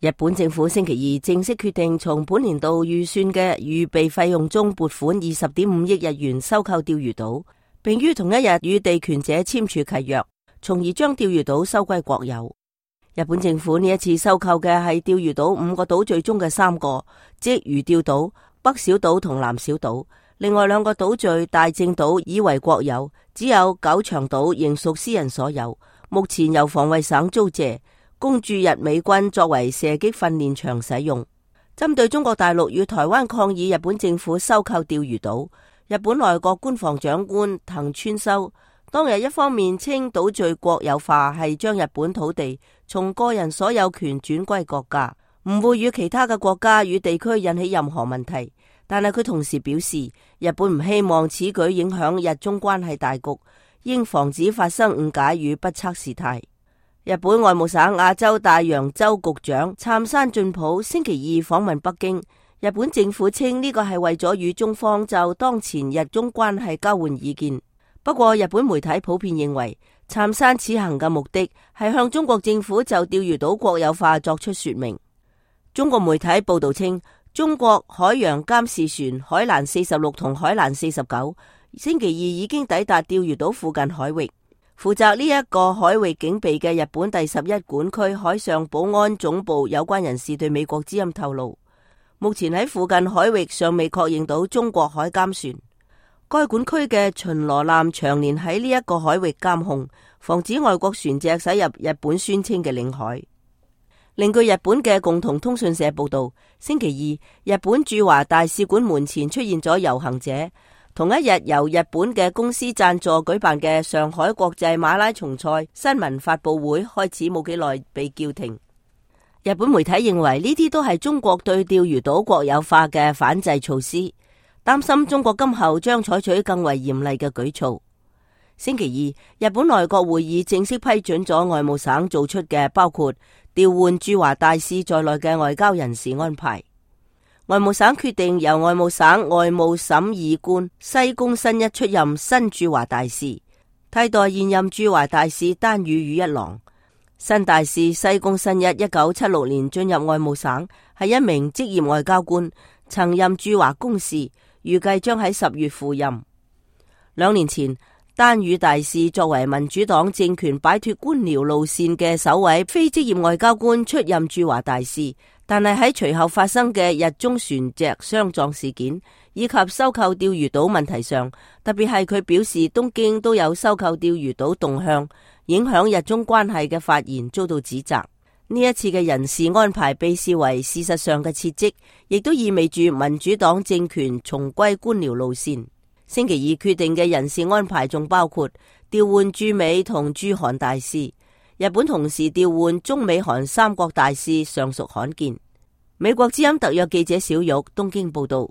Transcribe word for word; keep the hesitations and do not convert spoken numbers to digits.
日本政府星期二正式決定從本年度預算嘅預備費用中撥款二十點五億日元收購釣魚島，並於同一日與地權者簽署契約，從而將釣魚島收歸國有。日本政府呢一次收購嘅係釣魚島五個島嶼中嘅三個，即魚釣島、北小島同南小島。另外兩個島嶼大正島已為國有，只有九長島仍屬私人所有，目前由防衛省租借，供駐日美軍作為射擊訓練場使用。針對中國大陸與台灣抗議日本政府收購釣魚島，日本內閣官房長官藤村修當日一方面稱島嶼國有化係將日本土地從個人所有權轉歸國家，唔會與其他嘅國家與地區引起任何問題。但係佢同時表示，日本唔希望此舉影響日中關係大局，應防止發生誤解與不測事態。日本外務省亞洲大洋洲局長杉山進普星期二訪問北京，日本政府稱呢個係為咗與中方就當前日中關係交換意見。不過日本媒體普遍認為，杉山此行嘅目的係向中國政府就釣魚島國有化作出說明。中國媒體報道稱，中國海洋監視船海蘭四十六同海蘭四十九星期二已經抵達釣魚島附近海域。負責呢一個海域警備嘅日本第十一管區海上保安總部有關人士對美國之音透露，目前喺附近海域尚未確認到中國海監船。該管區嘅巡邏艦長年喺呢一個海域監控，防止外國船隻駛入日本宣稱嘅領海。另據日本嘅共同通訊社報道，星期二日本駐華大使館門前出現咗遊行者。同一日由日本嘅公司贊助舉辦嘅上海國際馬拉松賽新聞發佈會開始冇幾耐被叫停。日本媒體認為呢啲都係中國對釣魚島國有化嘅反制措施，擔心中國今後將採取更為嚴厲嘅舉措。星期二，日本內閣會議正式批准咗外務省做出嘅包括調換駐華大使在內嘅外交人事安排。外務省決定由外務省外務審議官西宮新一出任新駐華大使，替代現任駐華大使丹羽羽一郎。新大使西宮新一一九七六年進入外務省，係一名職業外交官，曾任駐華公使，預計將喺十月赴任。兩年前，丹羽大使作為民主黨政權擺脫官僚路線嘅首位非職業外交官出任駐華大使。但係喺隨後發生嘅日中船隻相撞事件以及收購釣魚島問題上，特別係佢表示東京都有收購釣魚島動向，影響日中關係嘅發言遭到指責。呢一次嘅人事安排被視為事實上嘅撤職，亦都意味住民主黨政權重歸官僚路線。星期二決定嘅人事安排仲包括調換駐美同駐韓大使。日本同時調換中美韓三國大使，尚屬罕見。美國之音特約記者小玉東京報道。